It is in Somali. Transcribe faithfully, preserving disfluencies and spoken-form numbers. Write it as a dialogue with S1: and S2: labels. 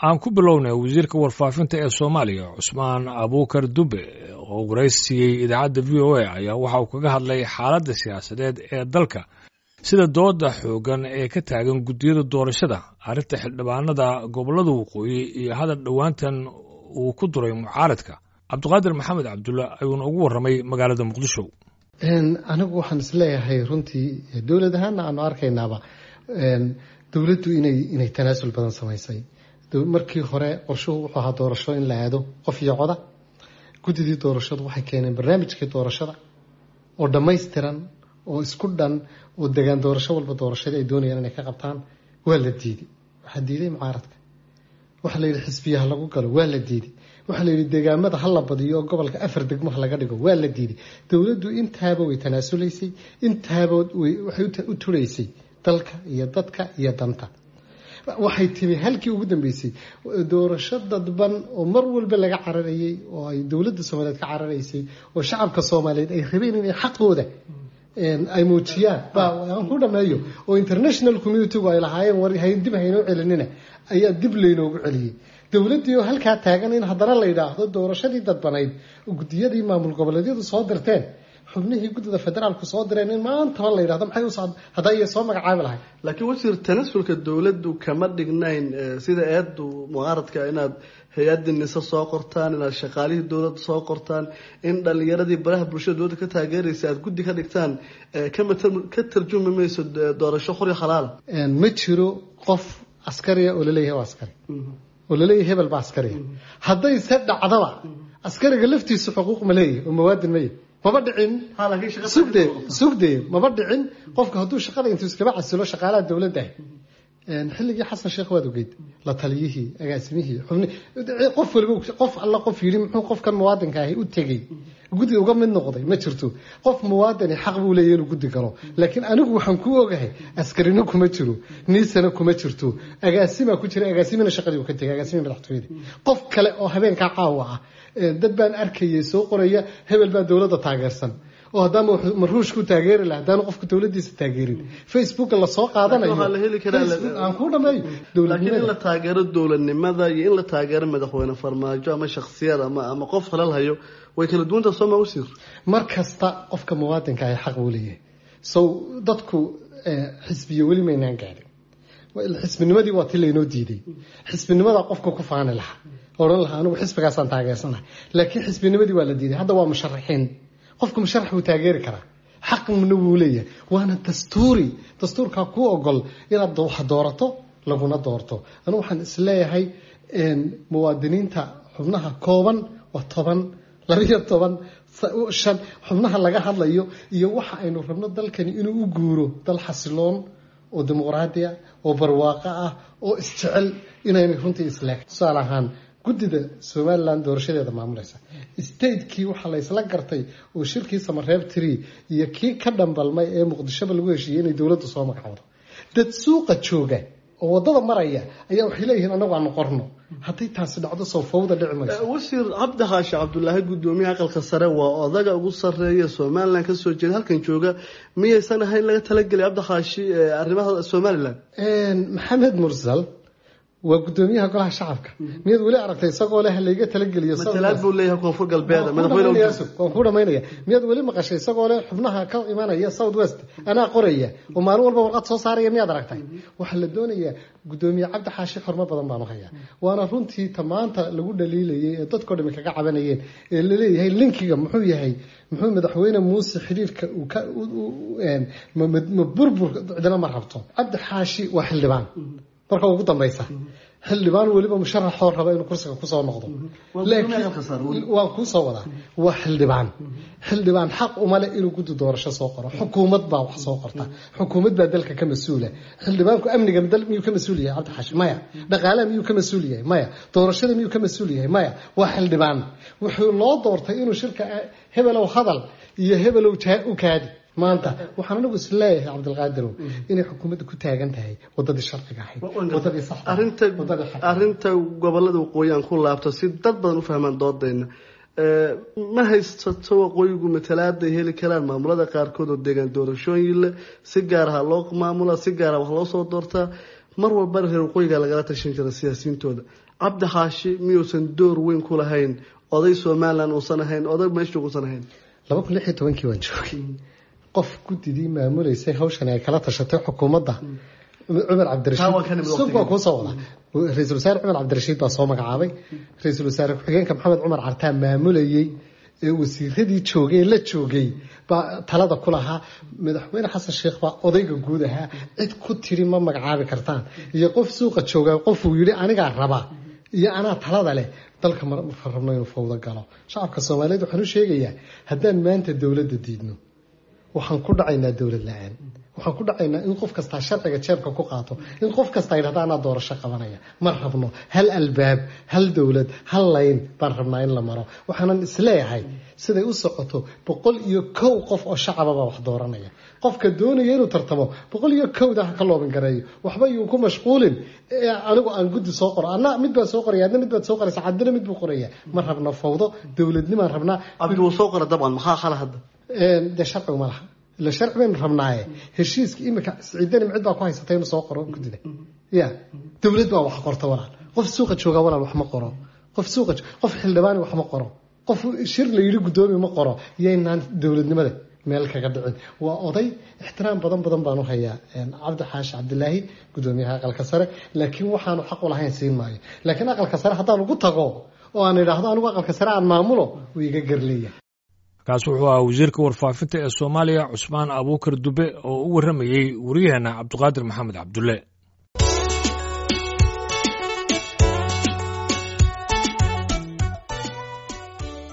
S1: Aan ku bilownay wasiirka warfaafinta ee Soomaaliya, Cusmaan Abuukar Dube, oo waraysiiyey idaacadda V O A, ayaa waxa uu kaga hadlay xaaladda siyaasadeed ee dalka, sida dooda xoogan ee ka taagan guddiyada doorashada, arrinta xildhibaanada gobollada waqooyi iyo hadal dhowaantan uu ku duray mucaaradka. Cabdiqaadir Maxamed Cabdulla ayuuna ugu warramay magaalada Muqdisho.
S2: Anigu waxaan isleeyahay runtii dowlad ahaana aanu arkaynaaba dowladdu inay inay tanaasul badan samaysay. Markii hore qorshuhu wuxuu ahaa doorasho in la aado qof iyo coda. Guddidii doorashadu waxay keeneen barnaamijkii doorashada oo dhammaystiran oo isku dhan oo degaan doorasho walba doorashadii ay doonayaan inay ka qabtaan. Waa la diiday, waxaa diiday mucaaradka. Waxaa la yidhi xisbiyaha lagu galo, waa la diiday. Waxaa la yidhi deegaamada ha la badiyo oo gobolka afar degmo ha laga dhigo, waa la diiday. Dowladdu intaaba way tanaasulaysay, intaaba waxay u turaysay dalka iyo dadka iyo danta. Waxay timi halkii ugu dambeysay doorasho dadban oo mar walba laga cararayay oo ay dowladda Soomaaliyeed ka cararaysay oo shacabka Soomaaliyeed ay rabeen inay xaqooda ay muujiyaan, aan ku dhameeyo, oo international community-gu ay lahaayeen war dib haynoo celinina, ayaa dib laynoogu celiyey. Dowladdii oo halkaa taagan in haddana la yidhaahdo doorashadii dadbanayd, guddiyadii maamul goboleedyadu soo dirteen, xubnihii guddida federaalku soo direen, in maantaba la yidhahdo maxay u socd haddaa iyo soo magacaabi lahay.
S3: Laakiin wasiir, tanasulka dowladdu kama dhignayn sida eedu mucaaradka inaad hay-adii nise soo qortaan, inaad shaqaalihii dowladda soo qortaan, in dhalinyaradii baraha bulshada dowladda ka taageeraysa aad guddi ka dhigtaan, kama ka tarjumi mayso doorasho xor iyo xalaala.
S2: Ma jiro qof askariya oo laleeyahay waa askari oo laleeyahay hebel baa askariya. Hadday se dhacdaba askariga laftiisu xuquuq ma leeyahy oo mawaadin ma yahy? Maba dhicin, sugde sugde, maba dhicin. Qofka hadduu shaqada intuu iskaba casilo shaqaalaha dowladda ah xilligii Xasan Sheekh waad ogeyd, la taliyihii, agaasimihii, xubni, qof waliba, qof alla qof yidhi muxuu qofkan muwaadinka ahi u tegey guddi uga mid noqday ma jirto. Qof muwaadini xaq buu leeyahy inuu guddi galo, laakiin anigu waxaan ku ogahay askarina kuma jiro, niisana kuma jirto, agaasimaa ku jira, agaasimina shaqadii uu ka tegay, agaasimii madaxtooyada. Qof kale oo habeenkaa caawa ah dad baan arkayay soo qoraya hebel baa dowladda taageersan, oo haddaama maruushku taageeri laha haddaanu qofku dowladiisa taageerin Facebooka lasoo qaadanayo aan ku dhameeyo.
S3: Laakiin in la taageero dowladnimada iyo in la taageero madaxweyne Farmaajo ama shaksiyad ama ama qof halal hayo way kala duwanta, soo ma wasiir?
S2: Mar kasta qofka muwaadinka ahi xaq buu leeyahay. So dadku xisbiyo weli maynaan gaadhin. Xisbinimadii waa ti laynoo diiday. Xisbinimada qofka ku faani lahaa, odhan lahaa anigu xisbigaasaan taageersanahay, laakiin xisbinimadii waa la diiday. Hadda waa musharaxiin, qofka musharax wuu taageeri karaa, xaqna wuu leeyahay, waana dastuuri, dastuurkaa kuu ogol inaad wax doorato laguna doorto. Anigu waxaan isleeyahay muwaadiniinta xubnaha kooban waa toban, labiyo toban, shan xubnaha laga hadlayo iyo waxa aynu rabno dalkani inuu u guuro dal xasiloon oo dimuqraadi ah oo barwaaqo ah oo isjecel inaynay runtii isleeg. Tusaale ahaan guddida Somaliland doorashadeeda maamulaysa statekii waxaa la isla gartay oo shirkii Samareeb tree iyo kii ka dhambalmay ee Muqdishoba lagu heshiiyey inay dowladdu soo magacowdo. Dad suuqa jooga oo wadada maraya ayaa waxay leeyihiin anagu aanu qorno. Hadday taasi dhacdo soo fawda dhici mayso.
S3: Wasiir, Cabdi Xaashi Cabdulaahi, guddoomiyaha aqalka sare, waa odaga ugu sarreeya Somaliland kasoo jeeda halkan jooga, miyaysan ahayn laga talagelay Cabdi Xaashi arrimaha Somaliland?
S2: Maxamed Mursal waa guddoomiyaha golaha shacabka, miyaad weli aragtay isagoo leh layga talageliyo?
S3: Matalaad buu leeyahay Koonfur Galbeed madaxweyne.
S2: Waan ku dhamaynaya. Miyaad weli maqashay isagoo leh xubnaha ka imanaya South West anaa qoraya oo maalin walba warqad soo saaraya? Miyaad aragtay? Waxaa la doonayaa guddoomiye Cabdi Xaashi xormo badan baanu hayaa, waana runtii tamaanta lagu dhaliilayay ee dadkoo dhami kaga cabanayeen ee laleeyahay linkiga muxuu yahay, muxuu madaxweyne Muuse xiriirka uu ka ma burbur cidina ma rabto. Cabdi Xaashi waa xildhibaan marka ugu dambaysa, xildhibaan weliba musharaxoo raba inuu kursiga kusoo noqdo, waan kuu soo wadaa. Waa xildhibaan, xildhibaan xaq uma leh inuu guddi doorasho soo qoro. Xukuumad baa wax soo qorta, xukuumad baa dalka ka mas-uula. Xildhibaanku amniga dal miyuu ka mas-uul yahay Cabdi Xaashi? Maya. Dhaqaalaha miyuu ka mas-uul yahay? Maya. Doorashada miyuu ka mas-uul yahay? Maya. Waa xildhibaan, wuxuu loo doortay inuu shirka hebelow hadal iyo hebelow u kaadi. Maanta waxaan anigu is leeyahay Cabdilqaadirow inay xukuumadda ku taagan tahay wadadii sharciga ahayd, wadadii saxda.
S3: Arrinta arrinta gobolada waqooyi aan ku laabto si dad badan u fahmaan doodayna. Ma haysato waqooyigu matalaaday heli karaan maamulada qaarkood oo deegaan doorashooyin leh, si gaar aha loo maamula, si gaara wax loo soo doortaa. Mar walbana reer waqooyiga lagala tashan jira siyaasiyiintooda. Cabdi Xaashi miyuusan door weyn ku lahayn, oday Somaliland uusan ahayn, oday meesha uusan ahayn?
S2: Laba kun lix iyo tobankii waan joogay. Qof guddidii maamuleysay hawshan ay kala tashatay xukuumadda Cumar Cabdirashiid waa kuu soo wada. Ra-iisul wasaare Cumar Cabdirashiid baa soo magacaabay, ra-iisul wasaare ku-xigeenka Maxamed Cumar Cartaa maamulayey, ee wasiiradii joogay la joogay baa talada ku lahaa. Madaxweyne Xasan Sheekh baa odayga guud ahaa. Cid ku tiri ma magacaabi kartaan iyo qof suuqa jooga qofuu yidhi anigaa rabaa iyo anaa talada leh, dalka ma rabno inuu fawdo galo. Shacabka Soomaaliyeed waxaan u sheegayaa, haddaan maanta dowladda diidno, waxaan ku dhacaynaa dowlad la-aan. Waxaan ku dhacaynaa in qof kastaa sharciga jeebka ku qaato, in qof kastaa yidhahda anaa doorasho qabanaya. Ma rabno. Hal albaab, hal dowlad, hal layn baan rabnaa in la maro. Waxaanan isleeyahay siday u socoto, boqol iyo kow qof oo shacababa wax dooranaya. Qofka doonaya inuu tartamo boqol iyo kowda ha ka loobin gareeyo, waxba yuu ku mashquulin. Anigu aan guddi soo qoro, anna mid baan soo qoraya, adna mid baad soo qoraysa, cabdina mid buu qoraya. Ma rabno fawdo, dowladnimaan rabnaa.
S3: Cabdi wuu soo qora dabcan, maxaa khala hadda?
S2: Dee sharcigu ma laha ila sharci baynu rabnaaye. Heshiiska imika Siciidani cid baa ku haysatay inuu soo qoro guddida. Ya dowlad baa wax qorta walaal. Qof suuqa jooga walaal wax ma qoro. Qof suuqa, qof xildhibaani wax ma qoro, qof shir la yidhi guddoomi ma qoro. Yaynaan dowladnimada meel kaga dhicin. Waa oday ixtiraam badan badan baan u hayaa Cabdi Xaashi Cabdilaahi, guddoomiyaha aqalka sare, laakiin waxaanu xaq u lahayn siin maayo. Laakiin aqalka sare haddaan ugu tago oo aan idhaahdo anigu aqalka sare aan maamulo, wuu iga garleeya.
S1: Kaas wuxuu ahaa wasiirka warfaafinta ee Soomaaliya Cusmaan Abuukar Dube oo u warramayey waryaheena Cabdiqaadir Maxamed Cabdulle.